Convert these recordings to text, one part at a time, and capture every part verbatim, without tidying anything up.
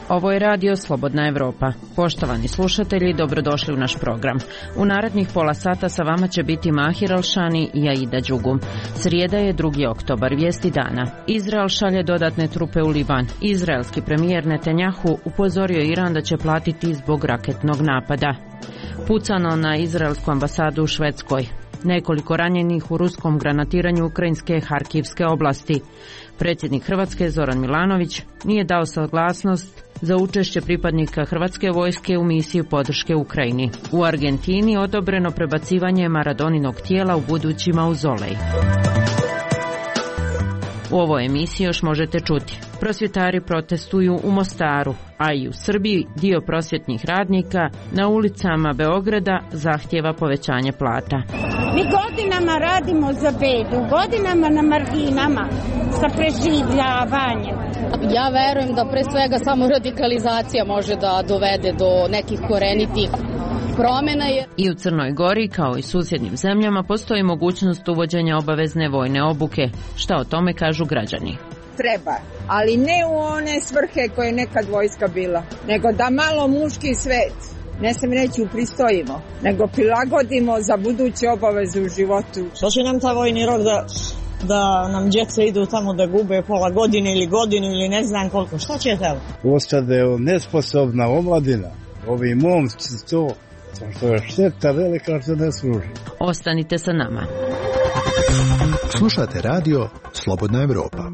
Ovo je radio Slobodna Evropa. Poštovani slušatelji, dobrodošli u naš program. U narednih pola sata sa vama će biti Mahir Alšani i Aida Đugum. Srijeda je drugi oktobar, vijesti dana. Izrael šalje dodatne trupe u Liban. Izraelski premijer Netanjahu upozorio Iran da će platiti zbog raketnog napada. Pucano na izraelsku ambasadu u Švedskoj. Nekoliko ranjenih u ruskom granatiranju ukrajinske Harkivske oblasti. Predsjednik Hrvatske Zoran Milanović nije dao saglasnost za učešće pripadnika hrvatske vojske u misiju podrške Ukrajini. U Argentini odobreno prebacivanje Maradoninog tijela u budući mauzolej. U ovoj emisiji još možete čuti. Prosvjetari protestuju u Mostaru, a i u Srbiji dio prosvjetnih radnika na ulicama Beograda zahtijeva povećanje plata. Mi godinama radimo za bedu, godinama na marginama sa preživljavanjem. Ja verujem da pre svega samo radikalizacija može da dovede do nekih korenitih promjena. Je. I u Crnoj Gori, kao i susjednim zemljama, postoji mogućnost uvođenja obavezne vojne obuke. Šta o tome kažu građani? Treba, ali ne u one svrhe koje je nekad vojska bila, nego da malo muški svet, ne sam reći upristojimo, nego prilagodimo za buduće obaveze u životu. Što će nam ta vojni rok da, da nam djeca idu tamo da gube pola godine ili godinu ili ne znam koliko, šta će tamo? Ostade nesposobna omladina, ovi momci to, što je šteta velika što ne služi. Ostanite sa nama. Slušate radio Slobodna Evropa.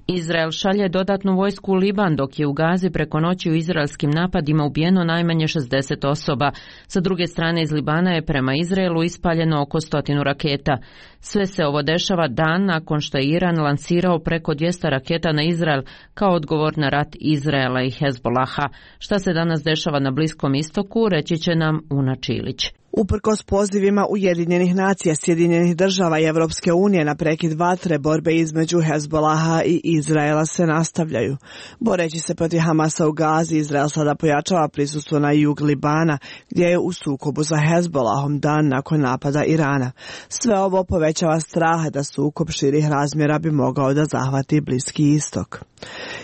Izrael šalje dodatnu vojsku u Liban, dok je u Gazi preko noći u izraelskim napadima ubijeno najmanje šezdeset osoba. Sa druge strane, iz Libana je prema Izraelu ispaljeno oko stotinu raketa. Sve se ovo dešava dan nakon što je Iran lansirao preko dvjesto raketa na Izrael kao odgovor na rat Izraela i Hezbolaha. Šta se danas dešava na Bliskom istoku, reći će nam Una Čilić. Uprkos pozivima Ujedinjenih nacija, Sjedinjenih država i Evropske unije na prekid vatre, borbe između Hezbolaha i Izraela se nastavljaju. Boreći se protiv Hamasa u Gazi, Izrael sada pojačava prisustvo na jug Libana, gdje je u sukobu sa Hezbolahom dan nakon napada Irana. Sve ovo povećava strah da sukob širih razmjera bi mogao da zahvati Bliski istok.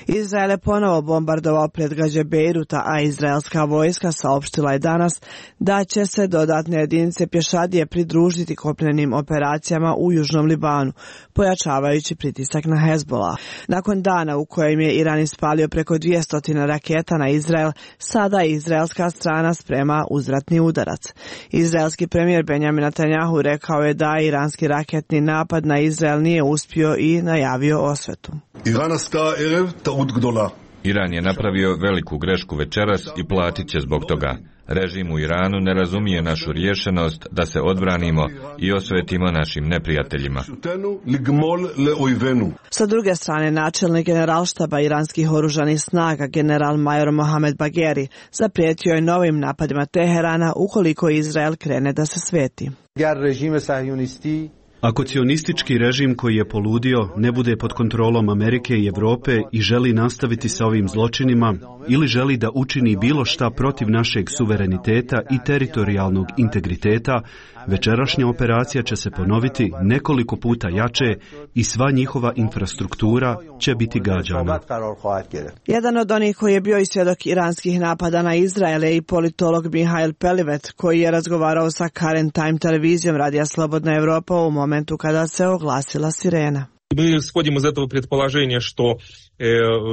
Izrael je ponovo bombardovao predgrađe Bejruta, a izraelska vojska saopštila je danas da će se dodatne jedinice pješadije pridružiti kopnenim operacijama u južnom Libanu, pojačavajući pritisak na Hezbolah. Nakon dana u kojem je Iran ispalio preko dvjesto raketa na Izrael, sada izraelska strana sprema uzvratni udarac. Izraelski premijer Benjamin Netanjahu rekao je da iranski raketni napad na Izrael nije uspio i najavio osvetu. Iran je napravio veliku grešku večeras i platit će zbog toga. Režim u Iranu ne razumije našu rješenost da se odbranimo i osvetimo našim neprijateljima. Sa druge strane, načelnik generalštaba iranskih oružanih snaga, general major Mohamed Bagheri, zaprijetio je novim napadima Teherana ukoliko Izrael krene da se sveti. Ako cionistički režim koji je poludio ne bude pod kontrolom Amerike i Europe i želi nastaviti sa ovim zločinima ili želi da učini bilo šta protiv našeg suvereniteta i teritorijalnog integriteta, večerašnja operacija će se ponoviti nekoliko puta jače i sva njihova infrastruktura će biti gađana. Jedan od onih koji je bio i svjedok iranskih napada na Izrael je i politolog Mihail Pelivet, koji je razgovarao sa Current Time televizijom radija Slobodna Evropa u momentu kada se oglasila sirena. Мы исходим из этого предположения, что э,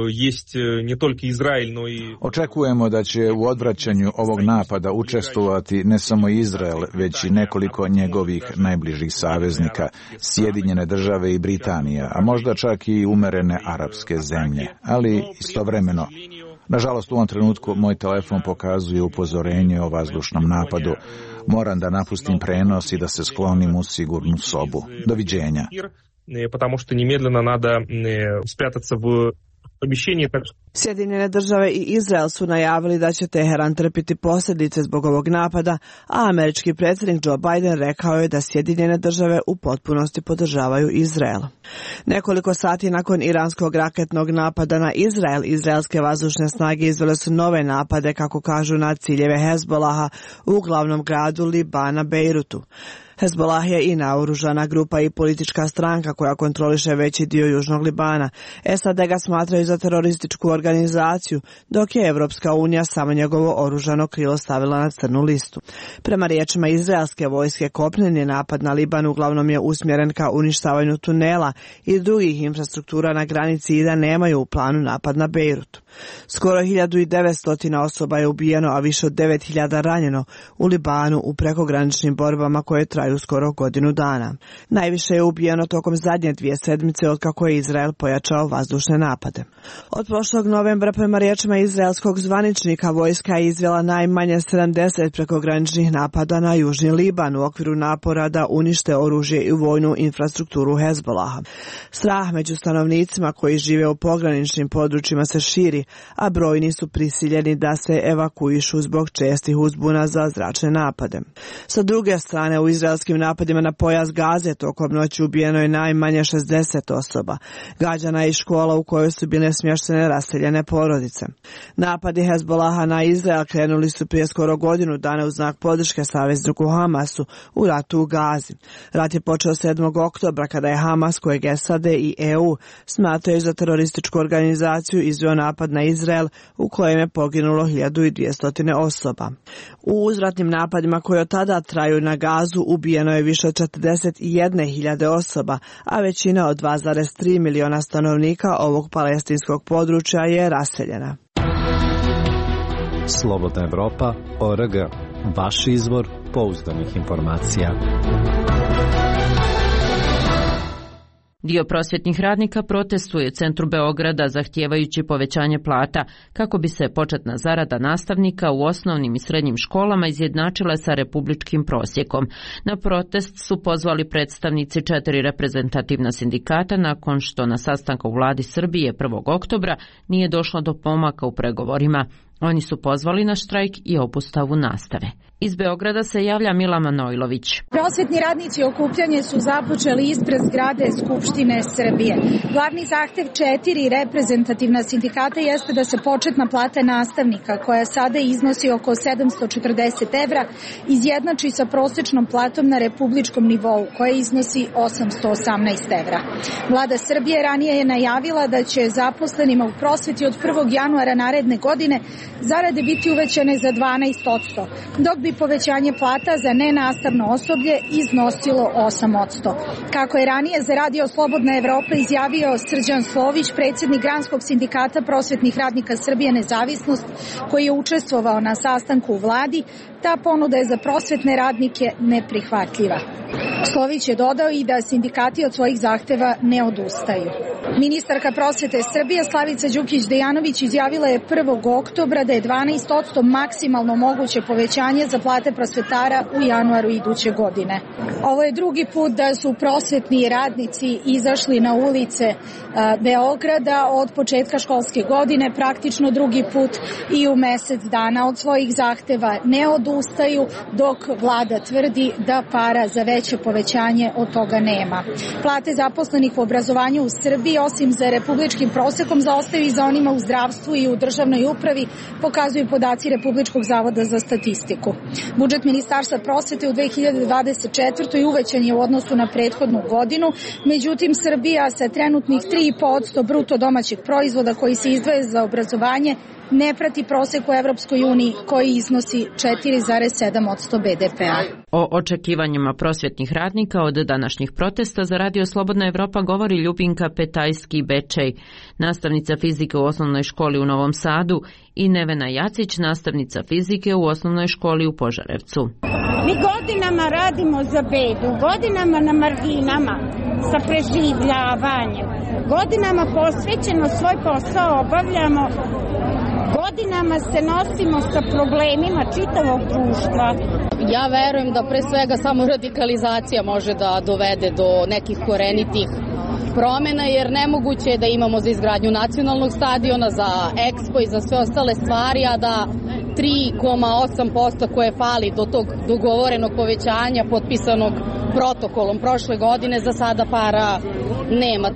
есть не только Израиль, но и... Očekujemo da će u odvraćanju ovog napada učestvovati ne samo Izrael, već i nekoliko njegovih najbližih saveznika, Sjedinjene države i Britanija, a možda čak i umerene arapske zemlje. Ali istovremeno, nažalost u ovom trenutku moj telefon pokazuje upozorenje o vazdušnom napadu. Moram da napustim prenos i da se sklonim u sigurnu sobu. Doviđenja. Потому что немедленно надо спрятаться в помещении. Sjedinjene države i Izrael su najavili da će Teheran trpiti posljedice zbog ovog napada, a američki predsjednik Joe Biden rekao je da Sjedinjene države u potpunosti podržavaju Izrael. Nekoliko sati nakon iranskog raketnog napada na Izrael, izraelske vazdušne snage izvele su nove napade, kako kažu, na ciljeve Hezbolaha u glavnom gradu Libana, Bejrutu. Hezbolah je i naoružana grupa i politička stranka koja kontroliše veći dio južnog Libana. S A D ga smatraju za terorističku organizaciju, dok je Evropska unija samo njegovo oružano krilo stavila na crnu listu. Prema riječima izraelske vojske, kopneni napad na Liban uglavnom je usmjeren ka uništavanju tunela i drugih infrastruktura na granici i da nemaju u planu napad na Bejrut. Skoro hiljadu devetsto osoba je ubijeno, a više od devet hiljada ranjeno u Libanu u prekograničnim borbama koje traju skoro godinu dana. Najviše je ubijeno tokom zadnje dvije sedmice od kako je Izrael pojačao vazdušne napade. Od prošlog novembra, prema riječima izraelskog zvaničnika, vojska je izvela najmanje sedamdeset prekograničnih napada na južni Liban u okviru napora da unište oružje i vojnu infrastrukturu Hezbolaha. Strah među stanovnicima koji žive u pograničnim područjima se širi, a brojni su prisiljeni da se evakuišu zbog čestih uzbuna za zračne napade. Sa druge strane, u izraelskim napadima na pojas Gaze tokom noći ubijeno je najmanje šezdeset osoba. Gađana je i škola u kojoj su bile smještene raseljene porodice. Napadi Hezbolaha na Izrael krenuli su prije skoro godinu dana u znak podrške savezniku Hamasu u ratu u Gazi. Rat je počeo sedmog oktobra kada je Hamas, kojeg S A D i E U smatraju za terorističku organizaciju, izveo napad na Izrael u kojem je poginulo hiljadu dvjesto osoba. U uzratnim napadima koji od tada traju na Gazu ubijeno je više od četrdeset jedne hiljade osoba, a većina od dva zarez tri miliona stanovnika ovog palestinskog područja je raseljena. Slobodna Evropa, O R G, vaš izvor pouzdanih informacija. Dio prosvjetnih radnika protestuje u centru Beograda zahtijevajući povećanje plata kako bi se početna zarada nastavnika u osnovnim i srednjim školama izjednačila sa republičkim prosjekom. Na protest su pozvali predstavnici četiri reprezentativna sindikata nakon što na sastanku u vladi Srbije prvog oktobra nije došlo do pomaka u pregovorima. Oni su pozvali na štrajk i obustavu nastave. Iz Beograda se javlja Mila Manojlović. Prosvetni radnici okupljanje su započeli ispred zgrade Skupštine Srbije. Glavni zahtev četiri reprezentativna sindikata jeste da se početna plata nastavnika, koja sada iznosi oko sedamsto četrdeset evra, izjednači sa prosječnom platom na republičkom nivou, koja iznosi osamsto osamnaest evra. Vlada Srbije ranije je najavila da će zaposlenima u prosveti od prvog januara naredne godine zarade biti uvećane za dvanaest posto, dok bi povećanje plata za nenastavno osoblje iznosilo osam posto. Kako je ranije za Radio Slobodna Evropa izjavio Srđan Slović, predsjednik Granskog sindikata prosvetnih radnika Srbije Nezavisnost, koji je učestvovao na sastanku u vladi, ta ponuda je za prosvetne radnike neprihvatljiva. Slović je dodao i da sindikati od svojih zahteva ne odustaju. Ministarka prosvete Srbije Slavica Đukić-Dejanović izjavila je prvog oktobra da je dvanaest posto maksimalno moguće povećanje za plate prosvetara u januaru iduće godine. Ovo je drugi put da su prosvetni radnici izašli na ulice Beograda od početka školske godine, praktično drugi put i u mesec dana. Od svojih zahteva ne odustaju, dok vlada tvrdi da para za veće povećanje od toga nema. Plate zaposlenih u obrazovanju u Srbiji, osim za republičkim prosekom, zaostaju i za onima u zdravstvu i u državnoj upravi, pokazuju podaci Republičkog zavoda za statistiku. Budžet Ministarstva prosvete u dve hiljade dvadeset četvrtoj uvećan je u odnosu na prethodnu godinu, međutim Srbija sa trenutnih tri i po posto bruto domaćeg proizvoda koji se izdvaja za obrazovanje ne prati prosek u Evropskoj uniji koji iznosi četiri zarez sedam posto be de pe-a. O očekivanjima prosvjetnih radnika od današnjih protesta za Radio Slobodna Evropa govori Ljubinka Petajski-Bečej, nastavnica fizike u osnovnoj školi u Novom Sadu, i Nevena Jacić, nastavnica fizike u osnovnoj školi u Požarevcu. Mi godinama radimo za bedu, godinama na marginama sa preživljavanjem, godinama posvećeno svoj posao obavljamo, godinama se nosimo sa problemima čitavog društva. Ja verujem da pre svega samo radikalizacija može da dovede do nekih korenitih promena, jer nemoguće je da imamo za izgradnju nacionalnog stadiona, za Expo i za sve ostale stvari, a da tri zarez osam posto koje fali do tog dogovorenog povećanja potpisanog protokolom prošle godine za sada para nema.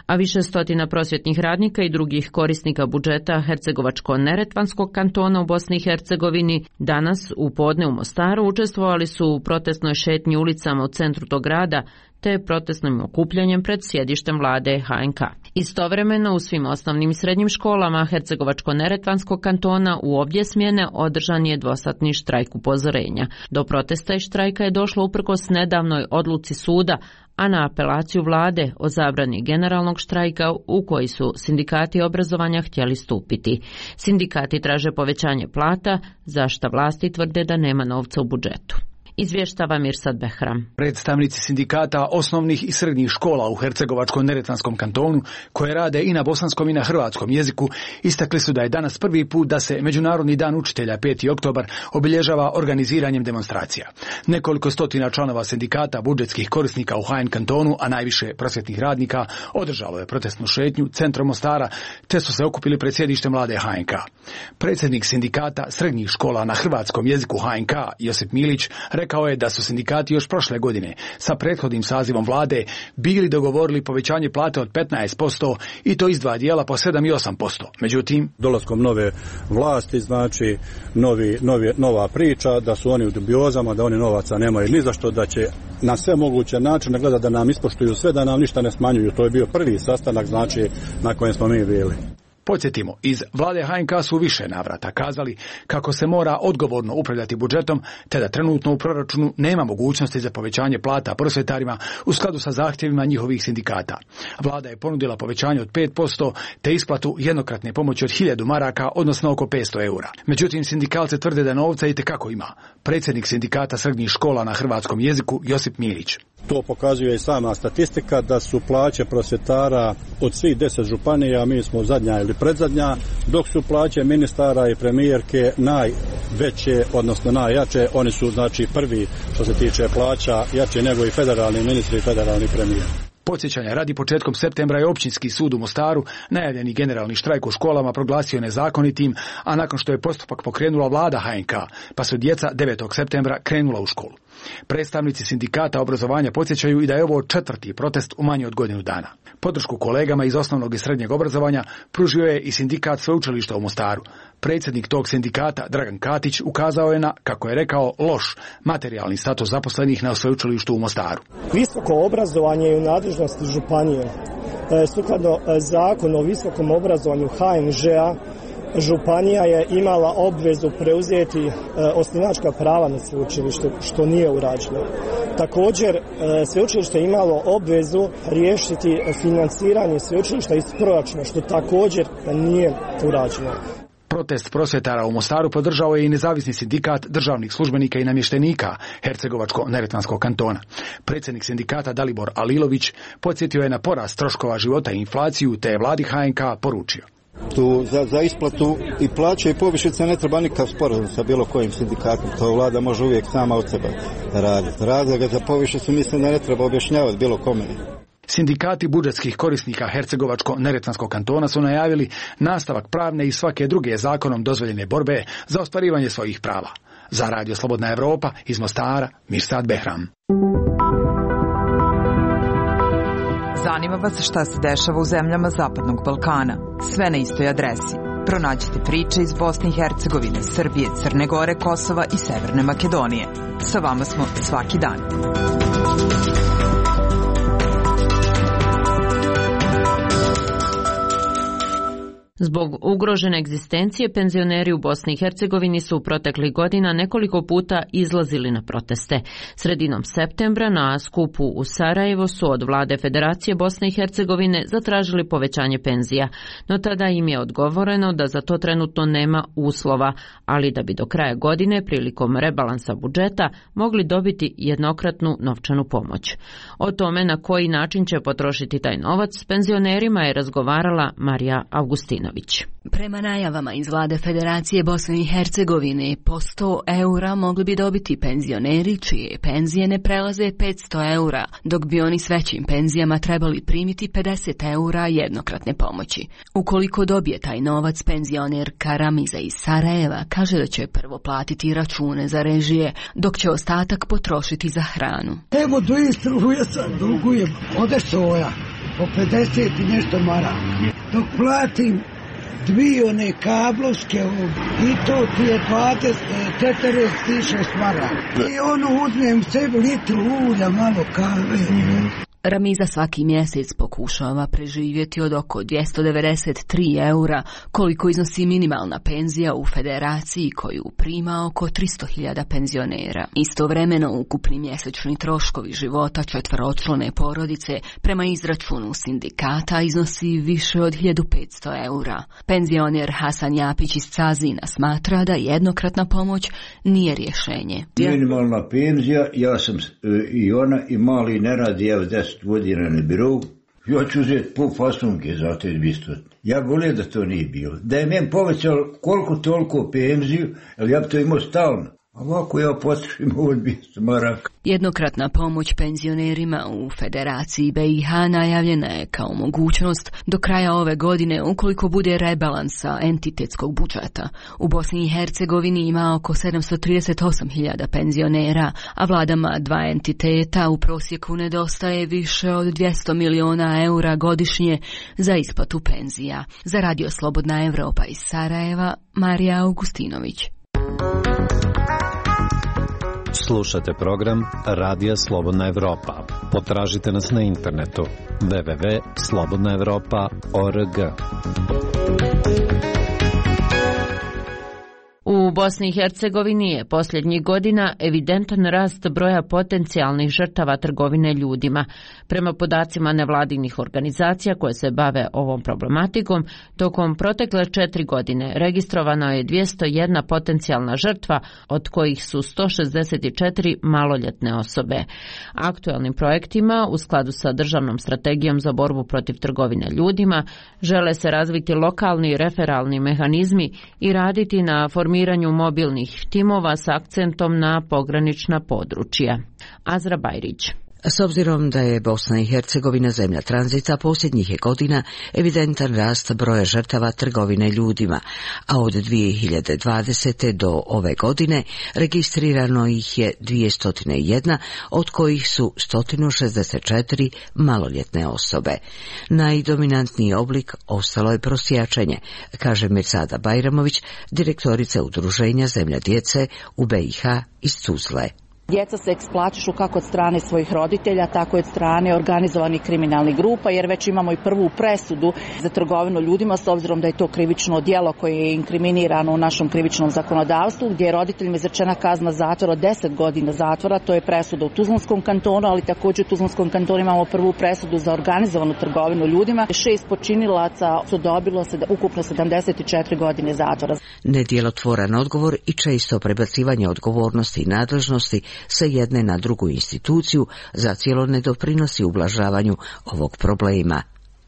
A više stotina prosvjetnih radnika i drugih korisnika budžeta Hercegovačko-Neretvanskog kantona u Bosni i Hercegovini danas u podne u Mostaru učestvovali su u protestnoj šetnji ulicama u centru tog grada te protestnim okupljanjem pred sjedištem vlade H N K. Istovremeno u svim osnovnim i srednjim školama Hercegovačko-Neretvanskog kantona u obje smjene održan je dvosatni štrajk upozorenja. Do protesta i štrajka je došlo uprkos nedavnoj odluci suda, a na apelaciju vlade o zabrani generalnog štrajka u koji su sindikati obrazovanja htjeli stupiti. Sindikati traže povećanje plata, za šta vlasti tvrde da nema novca u budžetu. Izvještava Mirsad Behram. Predstavnici sindikata osnovnih i srednjih škola u Hercegovačko-Neretvanskom kantonu, koje rade i na bosanskom i na hrvatskom jeziku, istakli su da je danas prvi put da se Međunarodni dan učitelja peti oktobar obilježava organiziranjem demonstracija. Nekoliko stotina članova sindikata budžetskih korisnika u H N kantonu, a najviše prosvjetnih radnika, održalo je protestnu šetnju centrom Mostara, te su se okupili pred sjedištem vlade H N K. Predsjednik sindikata srednjih škola na hrvatskom jeziku H N K, Josip Milić, rekao je da su sindikati još prošle godine sa prethodnim sazivom vlade bili dogovorili povećanje plate od petnaest posto i to iz dva dijela po sedam i osam posto. Međutim, dolaskom nove vlasti, znači novi, novi, nova priča, da su oni u dubiozama, da oni novaca nemaju ni za što, da će na sve moguće načine gleda da nam ispoštuju sve, da nam ništa ne smanjuju. To je bio prvi sastanak, znači, na kojem smo mi bili. Podsjetimo, iz vlade H N K su više navrata kazali kako se mora odgovorno upravljati budžetom, te da trenutno u proračunu nema mogućnosti za povećanje plata prosvjetarima u skladu sa zahtjevima njihovih sindikata. Vlada je ponudila povećanje od pet posto te isplatu jednokratne pomoći od hiljadu maraka, odnosno oko petsto eura. Međutim, sindikalci tvrde da novca itekako ima. Predsjednik sindikata srednjih škola na hrvatskom jeziku Josip Milić. To pokazuje i sama statistika da su plaće prosvjetara od svih deset županija, mi smo zadnja ili predzadnja, dok su plaće ministara i premijerke najveće, odnosno najjače. Oni su znači prvi što se tiče plaća, jače nego i federalni ministri i federalni premijer. Podsjećanja radi, početkom septembra je općinski sud u Mostaru najavljeni generalni štrajk u školama proglasio nezakonitim, a nakon što je postupak pokrenula vlada H N K, pa su djeca devetog septembra krenula u školu. Predstavnici sindikata obrazovanja podsjećaju i da je ovo četvrti protest u manje od godinu dana. Podršku kolegama iz osnovnog i srednjeg obrazovanja pružio je i sindikat sveučilišta u Mostaru. Predsjednik tog sindikata, Dragan Katić, ukazao je na, kako je rekao, loš materijalni status zaposlenih na sveučilištu u Mostaru. Visoko obrazovanje je u nadležnosti županije. Sukladno zakonu o visokom obrazovanju H N Ž-a, županija je imala obvezu preuzeti e, osnivačka prava na sveučilištu, što nije urađeno. Također, e, sveučilište je imalo obvezu riješiti financiranje sveučilišta iz proračuna, što također nije urađeno. Protest prosvjetara u Mostaru podržao je i nezavisni sindikat državnih službenika i namještenika Hercegovačko-Neretvanskog kantona. Predsjednik sindikata Dalibor Alilović podsjetio je na porast troškova života i inflaciju, te je vladi H N K poručio. Tu za, za isplatu i plaće i povišice ne treba nikakav sporazum sa bilo kojim sindikatom. To vlada može uvijek sama od sebe raditi. Razloga za povišicu mislim da ne treba objašnjavati bilo kome. Sindikati budžetskih korisnika Hercegovačko-Neretvanskog kantona su najavili nastavak pravne i svake druge zakonom dozvoljene borbe za ostvarivanje svojih prava. Za Radio Slobodna Evropa iz Mostara, Mirsad Behram. Zanima vas šta se dešava u zemljama Zapadnog Balkana. Sve na istoj adresi. Pronađite priče iz Bosne i Hercegovine, Srbije, Crne Gore, Kosova i Severne Makedonije. Sa vama smo svaki dan. Zbog ugrožene egzistencije, penzioneri u Bosni i Hercegovini su u proteklih godina nekoliko puta izlazili na proteste. Sredinom septembra na skupu u Sarajevo su od vlade Federacije Bosne i Hercegovine zatražili povećanje penzija, no tada im je odgovoreno da za to trenutno nema uslova, ali da bi do kraja godine prilikom rebalansa budžeta mogli dobiti jednokratnu novčanu pomoć. O tome na koji način će potrošiti taj novac s penzionerima je razgovarala Marija Augustinović. Augustinović. Prema najavama iz vlade Federacije Bosne i Hercegovine, po sto eura mogli bi dobiti penzioneri čije penzije ne prelaze petsto eura, dok bi oni s većim penzijama trebali primiti pedeset eura jednokratne pomoći. Ukoliko dobije taj novac, penzionerka Ramiza iz Sarajeva kaže da će prvo platiti račune za režije, dok će ostatak potrošiti za hranu. Evo do Istruje sad dugujem, ode soja, po pedeset i nešto maraka. Dok platim dvije one kablovske i to ti je dvadeset, četrdeset šest maraka. I ono uzmem sebi litru ulja, malo kave. Ramiza svaki mjesec pokušava preživjeti od oko dvjesto devedeset tri eura, koliko iznosi minimalna penzija u federaciji koju prima oko tristo hiljada penzionera. Istovremeno ukupni mjesečni troškovi života četveročlane porodice prema izračunu sindikata iznosi više od hiljadu petsto eura. Penzioner Hasan Japić iz Cazina smatra da jednokratna pomoć nije rješenje. Minimalna penzija, ja sam i ona i mali ne radi, ja deset godina na birovu, ja ću uzeti pol fasunke za te dvjesto. Ja volio da to nije bilo. Da je meni povećalo koliko toliko penziju, ali ja bi to imao stalno. Ovako ja potrošim ovo dvjesto maraka. Jednokratna pomoć penzionerima u Federaciji B i H najavljena je kao mogućnost do kraja ove godine ukoliko bude rebalansa entitetskog budžeta. U Bosni i Hercegovini ima oko sedamsto trideset osam hiljada penzionera, a vladama dva entiteta u prosjeku nedostaje više od dvjesto miliona eura godišnje za isplatu penzija. Za Radio Slobodna Evropa iz Sarajeva, Marija Augustinović. Slušate program Radija Slobodna Evropa. Potražite nas na internetu w w w tačka slobodna evropa tačka org. U Bosni i Hercegovini je posljednjih godina evidentan rast broja potencijalnih žrtava trgovine ljudima. Prema podacima nevladinih organizacija koje se bave ovom problematikom, tokom protekle četiri godine registrovano je dvjesto jedna potencijalna žrtva, od kojih su sto šezdeset četiri maloljetne osobe. Aktualnim projektima, u skladu sa državnom strategijom za borbu protiv trgovine ljudima, žele se razviti lokalni referalni mehanizmi i raditi na formiranju mobilnih timova s akcentom na pogranična područja. Azra Bajrić. S obzirom da je Bosna i Hercegovina zemlja tranzita, posljednjih je godina evidentan rast broja žrtava trgovine ljudima, a od dvije hiljade dvadesete do ove godine registrirano ih je dvjesto jedna, od kojih su sto šezdeset četiri maloljetne osobe. Najdominantniji oblik ostalo je prosjačenje, kaže Mirsada Bajramović, direktorica udruženja Zemlja djece u B i H iz Tuzle. Djeca se eksploatišu kako od strane svojih roditelja, tako i od strane organizovanih kriminalnih grupa, jer već imamo i prvu presudu za trgovinu ljudima, s obzirom da je to krivično djelo koje je inkriminirano u našem krivičnom zakonodavstvu, gdje je roditeljima izrečena kazna zatvora od deset godina zatvora. To je presuda u Tuzlanskom kantonu, ali također u Tuzlanskom kantonu imamo prvu presudu za organizovanu trgovinu ljudima. Šest počinilaca su dobilo ukupno sedamdeset četiri godine zatvora. Nedjelotvoran odgovor i često prebacivanje odgovornosti i nadležnosti sa jedne na drugu instituciju zacijelo ne doprinosi ublažavanju ovog problema.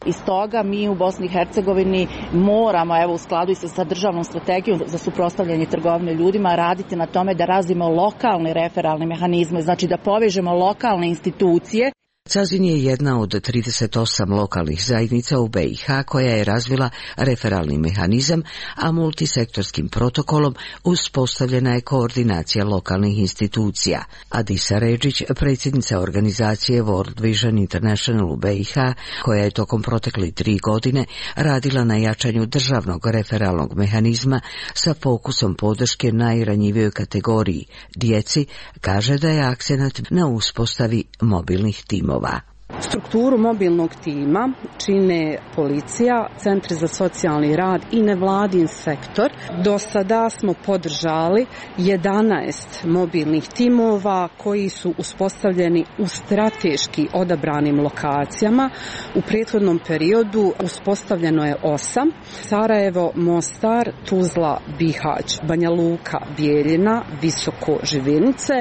Iz toga mi u Bosni i Hercegovini moramo, evo u skladu i sa državnom strategijom za suprotstavljanje trgovine ljudima, raditi na tome da razvijemo lokalne referalne mehanizme, znači da povežemo lokalne institucije. Cazin je jedna od trideset osam lokalnih zajednica u B i H koja je razvila referalni mehanizam, a multisektorskim protokolom uspostavljena je koordinacija lokalnih institucija. Adisa Redžić, predsjednica organizacije World Vision International u B i H, koja je tokom protekli tri godine radila na jačanju državnog referalnog mehanizma sa fokusom podrške najranjivijoj kategoriji, djeci, kaže da je akcenat na uspostavi mobilnih timova. Strukturu mobilnog tima čine policija, centri za socijalni rad i nevladin sektor. Do sada smo podržali jedanaest mobilnih timova koji su uspostavljeni u strateški odabranim lokacijama. U prethodnom periodu uspostavljeno je osam. Sarajevo, Mostar, Tuzla, Bihać, Banja Luka, Bijeljina, Visoko, Živinice,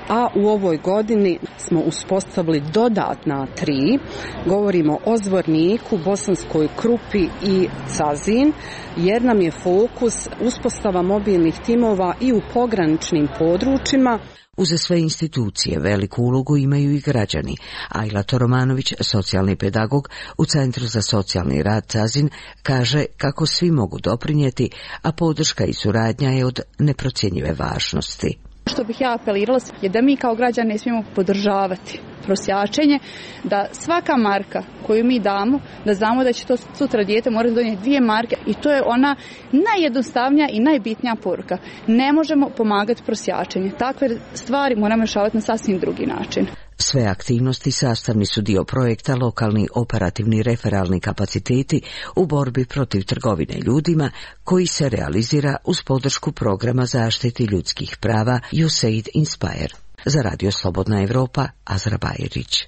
a u ovoj godini smo uspostavili dodatna tri tri. Govorimo o Zvorniku, Bosanskoj Krupi i Cazin, jer nam je fokus uspostava mobilnih timova i u pograničnim područjima. Uza sve institucije veliku ulogu imaju i građani. Ajla Toromanović, socijalni pedagog u Centru za socijalni rad Cazin, kaže kako svi mogu doprinijeti, a podrška i suradnja je od neprocjenjive važnosti. Što bih ja apelirala je da mi kao građani ne smijemo podržavati prosjačenje, da svaka marka koju mi damo, da znamo da će to sutra dijete morati donijeti dvije marke i to je ona najjednostavnija i najbitnija poruka. Ne možemo pomagati prosjačenje. Takve stvari moramo rješavati na sasvim drugi način. Sve aktivnosti sastavni su dio projekta Lokalni operativni referalni kapaciteti u borbi protiv trgovine ljudima, koji se realizira uz podršku programa zaštiti ljudskih prava U S A I D Inspire. Za Radio Slobodna Evropa, Azra Bajerić.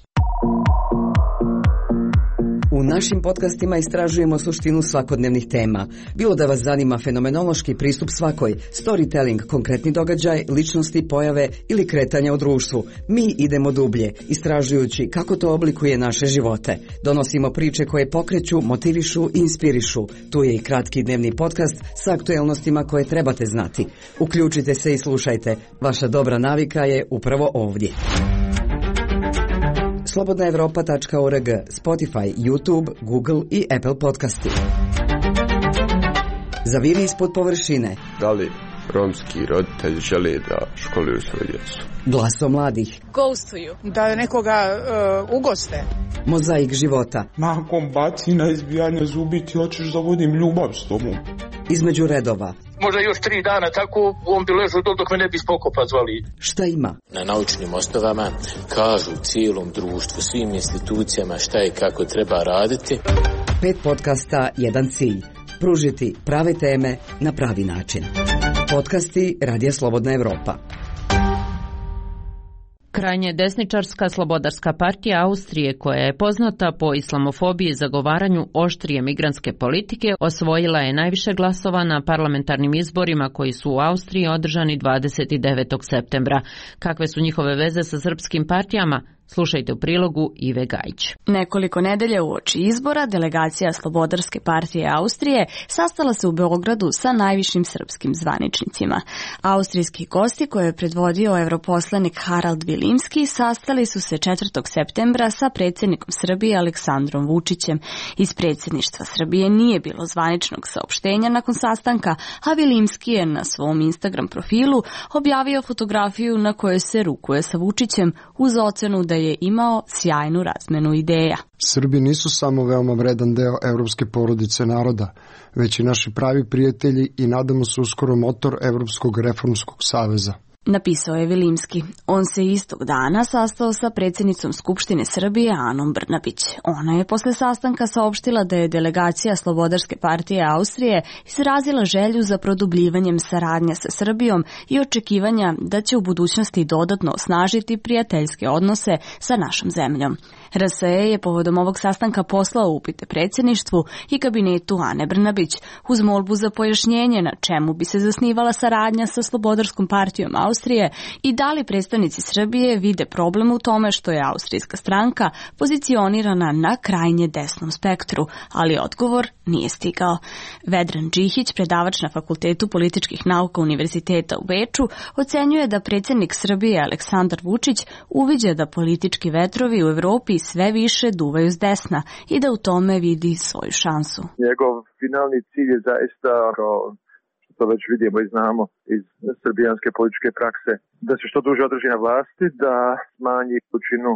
U našim podcastima istražujemo suštinu svakodnevnih tema. Bilo da vas zanima fenomenološki pristup svakoj, storytelling, konkretni događaj, ličnosti, pojave ili kretanja u društvu, mi idemo dublje, istražujući kako to oblikuje naše živote. Donosimo priče koje pokreću, motivišu i inspirišu. Tu je i kratki dnevni podcast sa aktuelnostima koje trebate znati. Uključite se i slušajte. Vaša dobra navika je upravo ovdje. slobodna evropa tačka org, Spotify, YouTube, Google i Apple podcasti. Zaviri ispod površine. Da li romski roditelji žele da školuju svoju djecu? Glaso mladih. Ghostuju. Da nekoga uh, ugoste. Mozaik života. Nakon bacina, izbijanja zubi ti hoćeš da vodim ljubav s tobom. Između redova. Možda još tri dana tako on bi ležao dok, dok me ne bi spokopa zvali. Šta ima? Na naučnim osnovama kažu cijelom društvu, svim institucijama šta i kako treba raditi. Pet podcasta, jedan cilj. Pružiti prave teme na pravi način. Podcasti Radija Slobodna Evropa. Krajnje desničarska Slobodarska partija Austrije, koja je poznata po islamofobiji i zagovaranju oštrije migrantske politike, osvojila je najviše glasova na parlamentarnim izborima koji su u Austriji održani dvadeset devetog septembra. Kakve su njihove veze sa srpskim partijama? Slušajte u prilogu Ive Gajić. Nekoliko nedelja uoči izbora delegacija Slobodarske partije Austrije sastala se u Beogradu sa najvišim srpskim zvaničnicima. Austrijski gosti koje je predvodio europoslanik Harald Vilimski sastali su se četvrtog septembra sa predsjednikom Srbije Aleksandrom Vučićem. Iz predsjedništva Srbije nije bilo zvaničnog saopštenja nakon sastanka, a Vilimski je na svom Instagram profilu objavio fotografiju na kojoj se rukuje sa Vučićem uz ocenu da je imao sjajnu razmenu ideja. Srbi nisu samo veoma vredan deo evropske porodice naroda, već i naši pravi prijatelji i nadamo se uskoro motor Evropskog reformskog saveza. Napisao je Vilimski. On se istog dana sastao sa predsjednicom Skupštine Srbije Anom Brnabić. Ona je posle sastanka saopštila da je delegacija Slobodarske partije Austrije izrazila želju za produbljivanjem saradnje sa Srbijom i očekivanja da će u budućnosti dodatno osnažiti prijateljske odnose sa našom zemljom. R S E je povodom ovog sastanka poslao upite predsjedništvu i kabinetu Ane Brnabić uz molbu za pojašnjenje na čemu bi se zasnivala saradnja sa Slobodarskom partijom Austrije i da li predstavnici Srbije vide problem u tome što je austrijska stranka pozicionirana na krajnje desnom spektru, ali odgovor nije stigao. Vedran Džihić, predavač na Fakultetu političkih nauka Univerziteta u Beču, ocenjuje da predsjednik Srbije Aleksandar Vučić uviđa da politički vetrovi u Evropi sve više duvaju s desna i da u tome vidi svoju šansu. Njegov finalni cilj je zaista, što to već vidimo i znamo iz srbijanske političke prakse, da se što duže održi na vlasti, da smanji količinu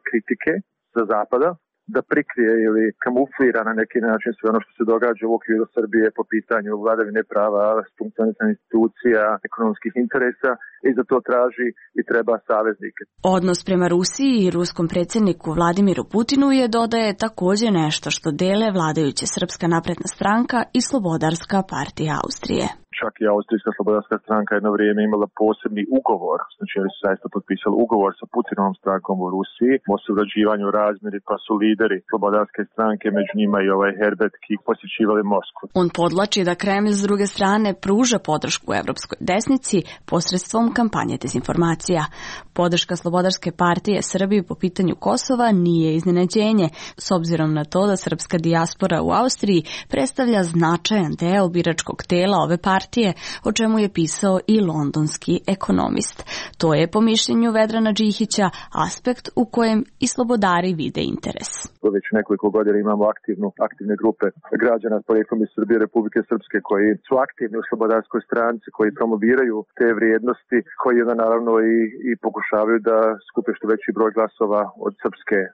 kritike sa zapada, da prikrije ili kamuflira na neki način sve ono što se događa u okviru Srbije po pitanju vladavine prava, funkcionisanja institucija, ekonomskih interesa i za to traži i treba saveznike. Odnos prema Rusiji i ruskom predsjedniku Vladimiru Putinu je, dodaje, također nešto što dele vladajuća Srpska napredna stranka i Slobodarska partija Austrije. čak i Austrijska slobodarska stranka jedno vrijeme imala posebni ugovor, znači oni su zaista potpisali ugovor sa Putinovom strankom u Rusiji o surađivanju razmjeri, pa su lideri slobodarske stranke, među njima i ovaj Herbert Kik, posjećivali Moskvu. On podlači da Kreml s druge strane pruža podršku evropskoj desnici posredstvom kampanje dezinformacija. Podrška Slobodarske partije Srbiji po pitanju Kosova nije iznenađenje, s obzirom na to da srpska dijaspora u Austriji predstavlja značajan deo biračkog tela ove partije, o čemu je pisao i londonski ekonomist. To je, po mišljenju Vedrana Džihića, aspekt u kojem i slobodari vide interes. Već nekoliko godina imamo aktivnu, aktivne grupe građana s porijeklom iz Srbije, Republike Srpske, koji su aktivni u slobodarskoj stranci, koji promoviraju te vrijednosti, koji onda naravno i, i pokušavaju da skupe što veći broj glasova od srpske uh,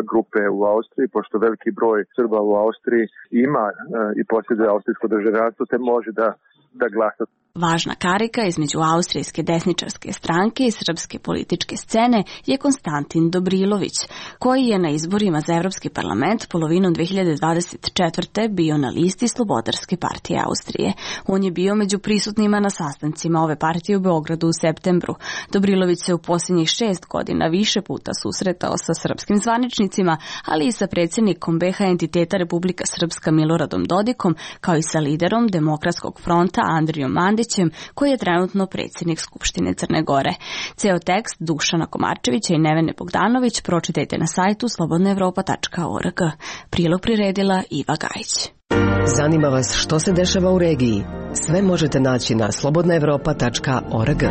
grupe u Austriji, pošto veliki broj Srba u Austriji ima uh, i posjeduje austrijsko državljanstvo, te može da, da glasa. Važna karika između austrijske desničarske stranke i srpske političke scene je Konstantin Dobrilović, koji je na izborima za Evropski parlament polovinom dve hiljade dvadeset četvrte bio na listi Slobodarske partije Austrije. On je bio među prisutnima na sastancima ove partije u Beogradu u septembru. Dobrilović se u posljednjih šest godina više puta susretao sa srpskim zvaničnicima, ali i sa predsjednikom be ha entiteta Republika Srpska Miloradom Dodikom, kao i sa liderom Demokratskog fronta Andrijom Mandićem, koji je trenutno predsjednik Skupštine Crne Gore. Ceo tekst Dušana Komarčevića i Nevene Bogdanović pročitajte na sajtu slobodna evropa tačka org. Prilog priredila Iva Gajić. Zanima vas što se dešava u regiji? Sve možete naći na slobodna evropa tačka org.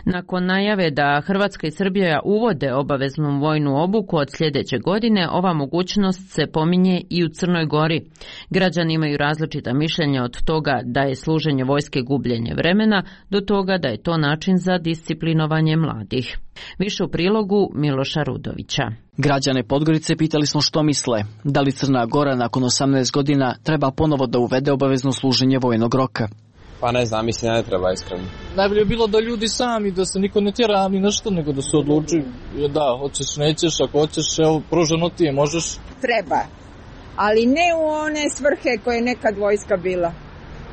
Nakon najave da Hrvatska i Srbija uvode obaveznu vojnu obuku od sljedeće godine, ova mogućnost se pominje i u Crnoj Gori. Građani imaju različita mišljenja od toga da je služenje vojske gubljenje vremena do toga da je to način za disciplinovanje mladih. Više u prilogu Miloša Rudovića. Građane Podgorice pitali smo što misle. Da li Crna Gora nakon osamnaest godina treba ponovo da uvede obavezno služenje vojnog roka? Pa ne znam, mislim da ne treba iskreno. Najbolje je bilo da ljudi sami, da se niko ne tjera ni nešto, nego da se odluči da, hoćeš, nećeš, ako hoćeš, evo, pruženo ti je, možeš. Treba, ali ne u one svrhe koje je nekad vojska bila,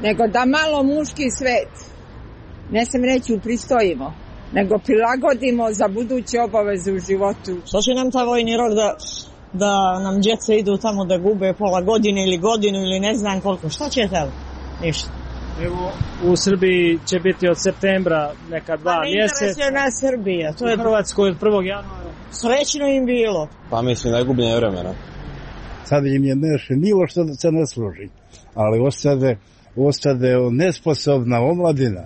nego da malo muški svet, ne sam reći upristojimo, nego prilagodimo za buduće obaveze u životu. Što će nam ta vojni rok da, da nam djeca idu tamo da gube pola godine ili godinu ili ne znam koliko, šta će tamo? Ništa. Evo, u Srbiji će biti od septembra neka dva pa mjeseca. Ne interesuje nas Srbija. To je u Hrvatskoj od prvog januara. Srećno im bilo. Pa mislim da je gubljenje vremena. Sad im je nešto nivo što se ne služi. Ali ostade, ostade nesposobna omladina.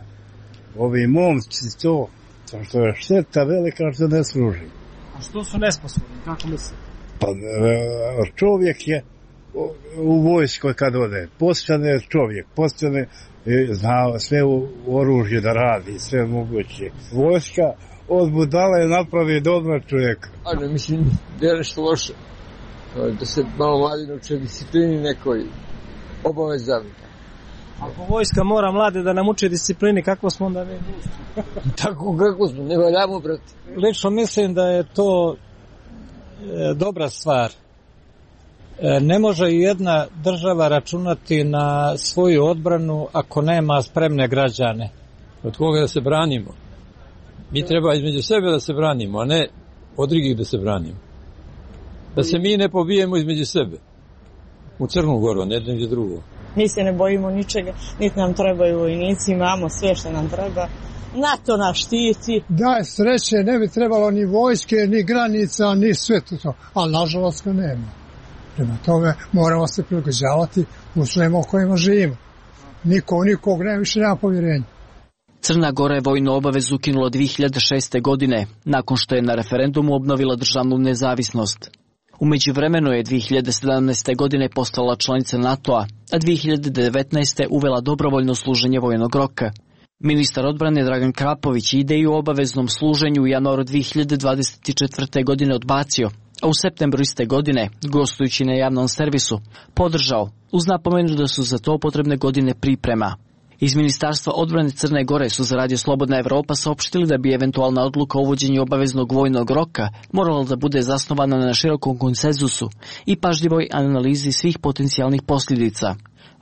Ovi momci to, to što je šteta velika što ne služi. A što su nesposobni, kako misli? Pa čovjek je u vojskoj kad ode, postane čovjek, postane, zna sve u oružje da radi, sve moguće. Vojska od budala je napravi dobra čovjeka. Ano, mislim, da je nešto loše. Da se malo mladi nauče disciplini nekoj obavezan. Ako vojska mora mlade da nam uče disciplini, kako smo onda mi? Tako kako smo, ne valjamo, brate. Lično mislim da je to e, dobra stvar. Ne može jedna država računati na svoju odbranu ako nema spremne građane. Od koga da se branimo? Mi treba između sebe da se branimo, a ne od drugih da se branimo. Da se mi ne pobijemo između sebe. U Crnu Goru, ne jedno drugo. Mi se ne bojimo ničega, niti nam trebaju vojnici, imamo sve što nam treba. NATO nas štiti. Da, sreće, ne bi trebalo ni vojske, ni granica, ni sve to. Ali nažalost ga nema. Prema tome moramo se prilagođavati uslovima u kojima živimo. Niko, nikog ne, više nema povjerenja. Crna Gora je vojnu obavezu ukinula dvije hiljade šeste. godine, nakon što je na referendumu obnovila državnu nezavisnost. U međuvremenu je dvije hiljade sedamnaeste. godine postala članica NATO-a, a dvije hiljade devetnaeste. uvela dobrovoljno služenje vojnog roka. Ministar odbrane Dragan Krapović ideju o obaveznom služenju u januaru dvije hiljade dvadeset četvrte. godine odbacio, a u septembru iste godine, gostujući na javnom servisu, podržao, uz napomenu da su za to potrebne godine priprema. Iz Ministarstva odbrane Crne Gore su za Radio Slobodna Evropa saopštili da bi eventualna odluka o uvođenju obaveznog vojnog roka morala da bude zasnovana na širokom konsenzusu i pažljivoj analizi svih potencijalnih posljedica.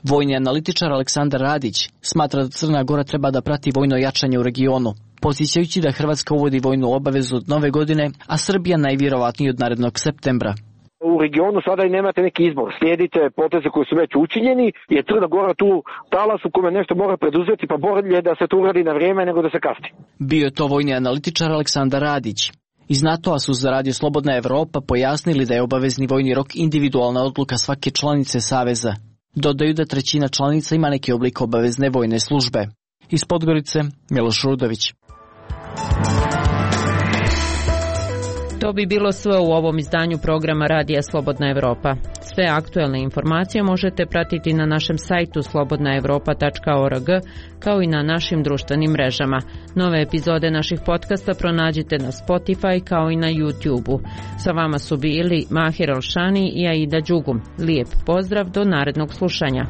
Vojni analitičar Aleksandar Radić smatra da Crna Gora treba da prati vojno jačanje u regionu, podsjećajući da Hrvatska uvodi vojnu obavezu od nove godine, a Srbija najvjerovatnije od narednog septembra. U regionu sada i nemate neki izbor, slijedite poteze koji su već učinjeni, jer Crna Gora tu talas u kome nešto mora preduzeti, pa bolje da se to uradi na vrijeme nego da se kasni. Bio je to vojni analitičar Aleksandar Radić. Iz NATO-a su za Radio Slobodna Evropa pojasnili da je obavezni vojni rok individualna odluka svake članice Saveza. Dodaju da trećina članica ima neki oblik obavezne vojne službe. Iz Podgorice, Miloš Rudović. To bi bilo sve u ovom izdanju programa Radija Slobodna Evropa. Sve aktuelne informacije možete pratiti na našem sajtu slobodna evropa tačka org, kao i na našim društvenim mrežama. Nove epizode naših podcasta pronađite na Spotify kao i na YouTube-u. Sa vama su bili Mahir Alšani i Aida Đugum. Lijep pozdrav do narednog slušanja.